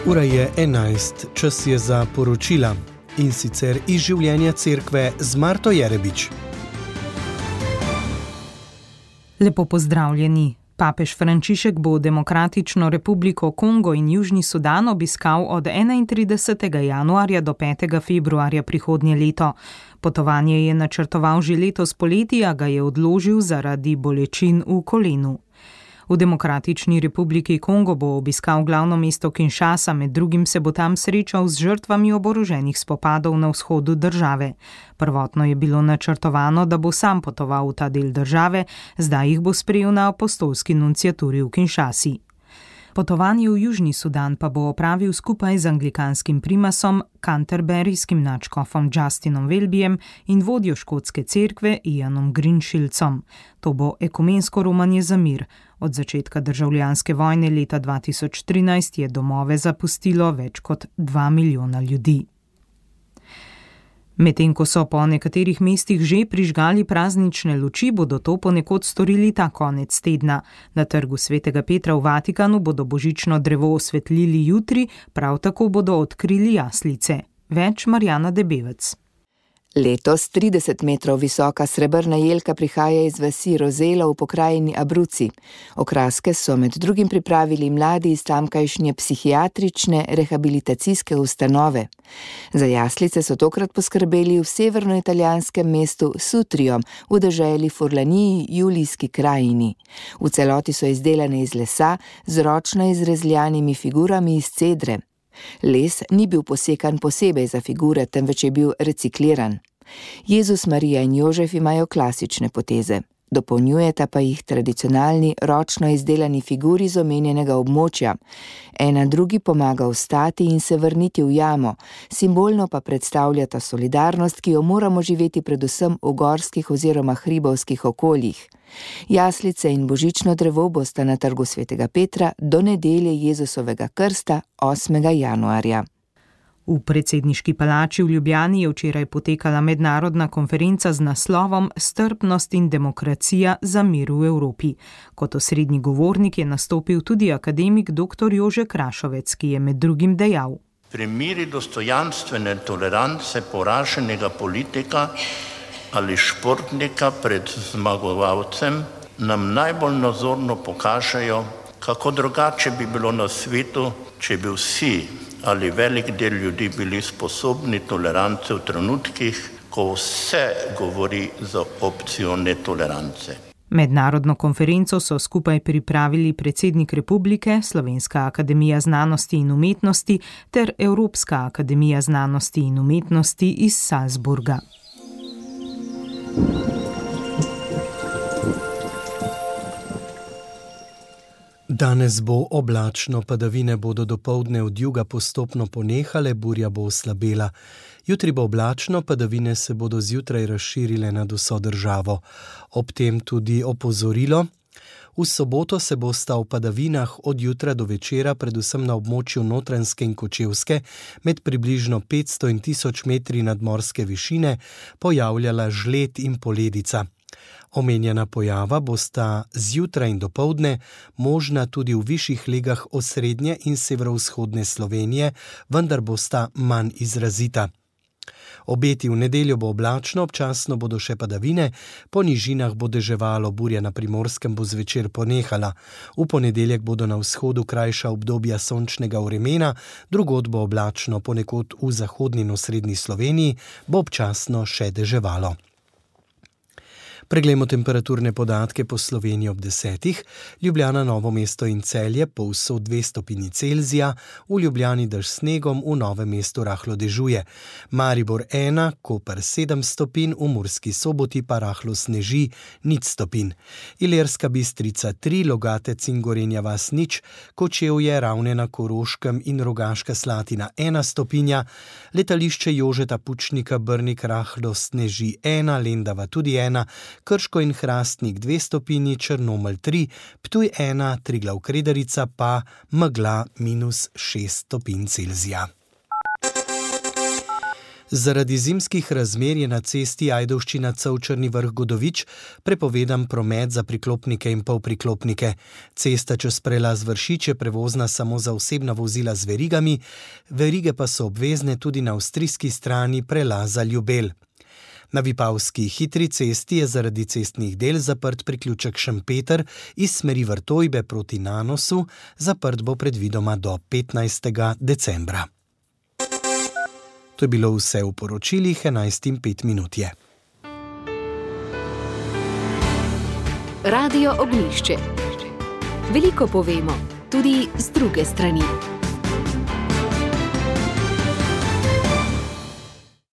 Ura je 11, čas je za poročila, in sicer iz življenja cerkve z Marto Jerebič. Lepo pozdravljeni. Papež Frančišek bo Demokratično republiko Kongo in Južni Sudan obiskal od 31. januarja do 5. februarja prihodnje leto. Potovanje je načrtoval že letos poleti, a ga je odložil zaradi bolečin v kolenu. V Demokratični republiki Kongo bo obiskal glavno mesto Kinshasa, med drugim se bo tam srečal z žrtvami oboroženih spopadov na vzhodu države. Prvotno je bilo načrtovano, da bo sam potoval v ta del države, zdaj jih bo sprejel na apostolski nunciaturi v Kinshasi. Potovanje v Južni Sudan pa bo opravil skupaj z anglikanskim primasom, canterburyjskim nadškofom Justinom Welbyjem in vodjo škotske cerkve Ianom Greenshillcom. To bo ekumensko romanje za mir. Od začetka državljanske vojne leta 2013 je domove zapustilo več kot 2 milijona ljudi. Medtem ko so po nekaterih mestih že prižgali praznične luči, bodo to ponekod storili ta konec tedna. Na trgu Svetega Petra v Vatikanu bodo božično drevo osvetlili jutri, prav tako bodo odkrili jaslice. Več Marjana Debevec. Letos 30 metrov visoka srebrna jelka prihaja iz vasi Rozela v pokrajini Abruzzi. Okraske so med drugim pripravili mladi iz tamkajšnje psihiatrične rehabilitacijske ustanove. Za jaslice so tokrat poskrbeli v severnoitalijanskem mestu Sutrio, v deželi Furlaniji, Julijski krajini. V celoti so izdelane iz lesa z ročno izrezljanimi figurami iz cedre. Les ni bil posekan posebej za figure, temveč je bil recikliran. Jezus, Marija in Jožef imajo klasične poteze. Dopolnjujeta pa jih tradicionalni, ročno izdelani figuri z omenjenega območja. Ena drugi pomaga vstati in se vrniti v jamo, simbolno pa predstavljata solidarnost, ki jo moramo živeti predvsem v gorskih oziroma hribovskih okoljih. Jaslice in božično drevo bosta na trgu Svetega Petra do nedelje Jezusovega krsta 8. januarja. V predsedniški palači v Ljubljani je včeraj potekala mednarodna konferenca z naslovom Strpnost in demokracija za mir v Evropi. Kot osrednji govornik je nastopil tudi akademik dr. Jože Krašovec, ki je med drugim dejal: Primeri dostojanstvene tolerance poraženega politika ali športnika pred zmagovalcem nam najbolj nazorno pokažejo, kako drugače bi bilo na svetu, če bi vsi ali velik del ljudi bili sposobni tolerance v trenutkih, ko vse govori za opcijo netolerance. Mednarodno konferenco so skupaj pripravili predsednik republike, Slovenska akademija znanosti in umetnosti ter Evropska akademija znanosti in umetnosti iz Salzburga. Danes bo oblačno, padavine bodo dopoldne od juga postopno ponehale, burja bo oslabela. Jutri bo oblačno, padavine se bodo zjutraj razširile nad vso državo. Ob tem tudi opozorilo. V soboto se bosta v padavinah od jutra do večera, predvsem na območju Notranjske in Kočevske, med približno 500 in 1000 metri nadmorske višine, pojavljala žled in poledica. Omenjena pojava bosta zjutraj in dopoldne možna tudi v višjih legah osrednje in severovzhodne Slovenije, vendar bosta manj izrazita. Obeti v nedeljo bo oblačno, občasno bodo še padavine, po nižinah bo deževalo, burja na Primorskem bo zvečer ponehala. V ponedeljek bodo na vzhodu krajša obdobja sončnega vremena, drugod bo oblačno, ponekod v zahodni in osrednji Sloveniji bo občasno še deževalo. Preglejmo temperaturne podatke po Sloveniji ob 10. Ljubljana, Novo mesto in Celje povsod 2 stopinji Celzija, v Ljubljani dež s snegom, v Novem mestu rahlo dežuje. Maribor 1, Koper 7 stopinj, v Murski Soboti pa rahlo sneži 0 stopinj. Ilirska Bistrica 3, Logatec in Gorenja vas 0, Kočevje, Ravne na Koroškem in Rogaška Slatina 1 stopinja, letališče Jožeta Pučnika Brnik rahlo sneži 1, Lendava tudi 1, Krško in Hrastnik 2 stopinji, Črnomelj 3, Ptuj 1, Triglav Kredarica pa megla -6 stopinj Celzija. Zaradi zimskih razmer je na cesti Ajdovščina-Cevčerni Vrh-Godovič prepovedan promet za priklopnike in polpriklopnike. Cesta čez prelaz Vršič je prevozna samo za osebna vozila z verigami, verige pa so obvezne tudi na avstrijski strani prelaza Ljubelj. Na Vipavski hitri cesti je zaradi cestnih del zaprt priključek Šempeter iz smeri Vrtojbe proti Nanosu, zaprt bo predvidoma do 15. decembra. To je bilo vse v poročilih, 11:05 je. Radio Ognjišče. Veliko povemo, tudi z druge strani.